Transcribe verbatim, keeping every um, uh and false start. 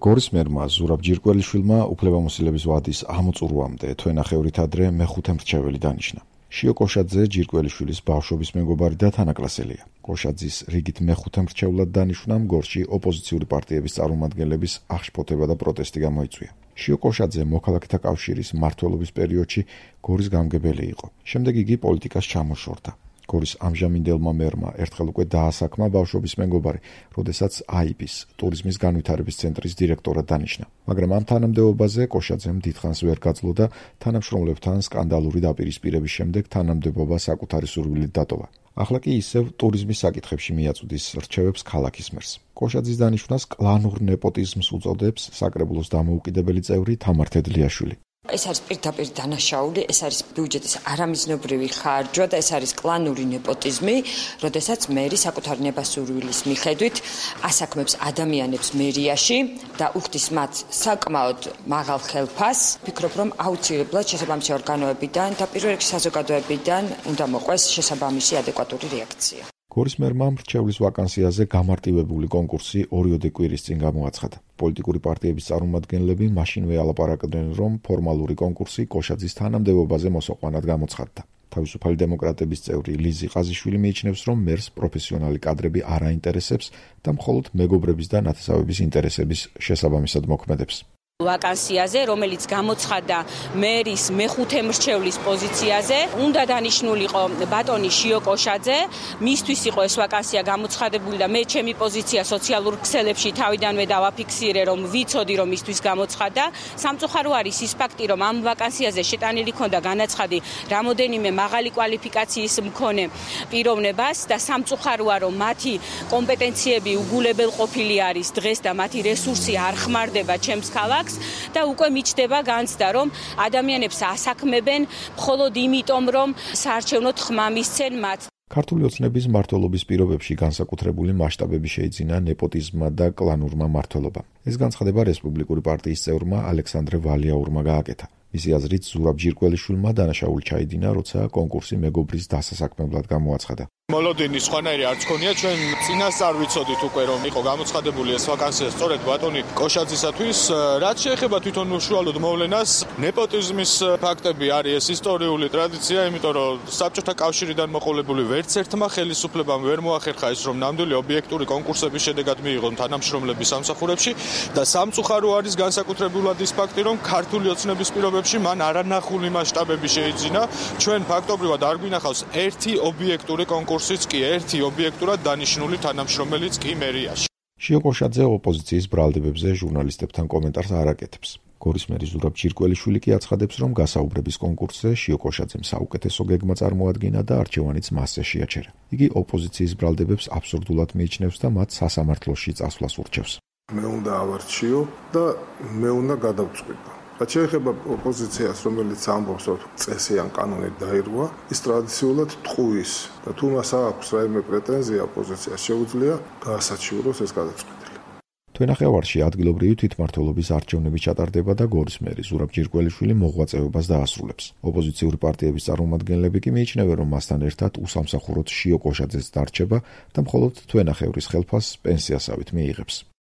გორის მერმა ზურაბ ჯირკველიშვილმა უფლებამოსილების ვადის ამოწურვამდე თვენახევრით ადრე მეხუთე მრჩეველი დანიშნა. შიო კოშაძე ჯირკველიშვილის ბავშვობის მეგობარი და თანაკლასელია. კოშაძის რიგით მეხუთე მრჩევლად დანიშვნამ გორში ოპოზიციური პარტიების წარმომადგენლების აღშფოთება და პროტესტი გამოიწვია. შიო კოშაძე მოქალაქეთა კავშირის მმართველობის პერიოდში გორის გამგებელი იყო. შემდეგ იგი პოლიტიკას ჩამოშორდა. გორის ამჟამინდელმა მერმა ერთხელ უკვე დაასაქმა ბავშვობის მეგობარი, როდესაც აიბის ტურიზმის განვითარების ცენტრის დირექტორად დანიშნა. მაგრამ ამ თანამდებობაზე კოშაძემ დიდხანს ვერ გაძლო და თანამშრომლებთან სკანდალური დაპირისპირების შემდეგ თანამდებობა საკუთარი სურვილით დატოვა. ახლა კი ისევ ტურიზმის საკითხებში მიაწვდის რჩევებს ქალაქის მერს. კოშაძის დანიშვნას კლანურ ნეპოტიზმს უწოდებს საკრებულოს დამოუკიდებელი წევრი თამარ თედლიაშვილი. ეს არის პირდაპირ დანაშაული, ეს არის ბიუჯეტის არამიზნობრივი ხარჯვა და ეს არის კლანური ნეპოტიზმი, როდესაც მერი საკუთარი ნებასურვილის მიხედვით ასაქმებს ადამიანებს მერიაში და უხდის მათ საკმაოდ მაღალ ხელფასს. ვფიქრობ, რომ აუცილებლად შესაბამისი ორგანოებიდან და პირველ რიგში საზოგადოებიდან უნდა მოყვეს შესაბამისი ადეკვატური რეაქცია. გორის მერმა მრჩევლის ვაკანსიაზე გამარტივებული კონკურსი ორიოდე კვირის წინ გამოაცხადა. პოლიტიკური პარტიების წარმომადგენლები მაშინვე ალაპარაკდნენ, რომ ფორმალური კონკურსი კოშაძის თანამდებობაზე მოსაყვანად გამოცხადდა. თავისუფალი დემოკრატების წევრი ლიზი ყაზიშვილი მიიჩნევს, რომ მერს პროფესიონალი კადრები არ აინტერესებს და მხოლოდ მეგობრების და ნათესავების ინტერესების შესაბამისად მოქმედებს. ვაკანსიაზე, რომელიც გამოცხადდა მერის მეხუთე მრჩევლის პოზიციაზე, უნდა დანიშნულიყო ბატონი შიო კოშაძე, მისთვის იყო ეს ვაკანსია გამოცხადებული და მე ჩემი პოზიცია სოციალურ ქსელებში თავიდანვე დავაფიქსირე, რომ ვიცოდი, რომ მისთვის გამოცხადდა. სამწუხარო არის ის ფაქტი, რომ ამ ვაკანსიაზე შეტანილი ჰქონდა განაცხადი რამოდენიმე მაღალი კვალიფიკაციის მქონე პიროვნებას და სამწუხაროა, რომ მათი კომპეტენციები უგულებელყოფილი არის დღეს და მათი რესურსი არ ხმარდება ჩემს ქალაქს. და უკვე მიჩნდება განცდა, რომ ადამიანებს ასაქმებენ მხოლოდ იმიტომ, რომ საარჩევნოდ ხმა მისცენ მათ. ქართული ოცნების მმართველობის პირობებში განსაკუთრებული მასშტაბები შეიძინა ნეპოტიზმმა და კლანურმა მმართველობამ. ეს განცხადება რესპუბლიკური პარტიის წევრმა ალექსანდრე ვალიაურმა გააკეთა. მისი აზრით, ზურაბ ჯირკველიშვილმა დანაშაული ჩაიდინა, როცა კონკურსი მეგობრის დასასაქმებლად გამოაცხადა. მოლოდინი სხვანაირი არც ქონია, ჩვენ წინასწარ ვიცოდით უკვე, რომ იყო გამოცხადებული ეს ვაკანსია სწორედ ბატონი კოშაძისათვის. რაც შეეხება თვითონ უშუალოდ მოვლენას, ნეპოტიზმის ფაქტები არის ეს ისტორიული ტრადიცია, იმიტომ რომ საბჭოთა კავშირიდან მოყოლებული ვერც ერთმა ხელისუფლებამ ვერ მოახერხა ის, რომ ნამდვილი ობიექტური კონკურსების შედეგად მიიღონ თანამშრომლები სამსახურებში და სამწუხარო არის განსაკუთრებულად ის ფაქტი, რომ ქართული ოცნების პირობებში მან არანახული მასშტაბები შეიძინა. ჩვენ ფაქტობრივად არ გვინახავს ერთი ობიექტური კონკურსი კურსიც კი ერთი ობიექტურად დანიშნული თანამშრომელიც კი მერიაში. შიო კოშაძე ოპოზიციის ბრალდებებზე ჟურნალისტებთან კომენტარს არ აკეთებს. გორის მერი ზურაბ ჯირკველიშვილი კი აცხადებს, რომ გასაუბრების კონკურსზე შიო კოშაძემ საუკეთესო გეგმა წარმოადგინა და არჩევანიც მასზე შეაჩერა. იგი ოპოზიციის ბრალდებებს აბსურდულად მიიჩნევს და მათ სასამართლოში წასვლას ურჩევს. მე უნდა ავარჩიო და მე უნდა გადავწყვიტო. რაც შეეხება ოპოზიციას, რომელიც ამბობს, რომ წესი ან კანონი დაირღვა, ის ტრადიციულად ტყუის და თუ მას აქვს რაიმე პრეტენზია ოპოზიციას, შეუძლია გაასაჩივროს ეს გადაწყვეტილი. თვენახევარში ადგილობრივი თვითმმართველობის არჩევნები ჩატარდება და გორის მერი ზურაბ ჯირკველიშვილი მოღვაწეობას დაასრულებს. ოპოზიციური პარტიების წარმომადგენლები კი მიიჩნევენ, რომ მასთან ერთად უსამსახუროდ შიო კოშაძეც დარჩება და მხოლოდ თვენახევრის ხელფასს პენსიასავით მიიღებს.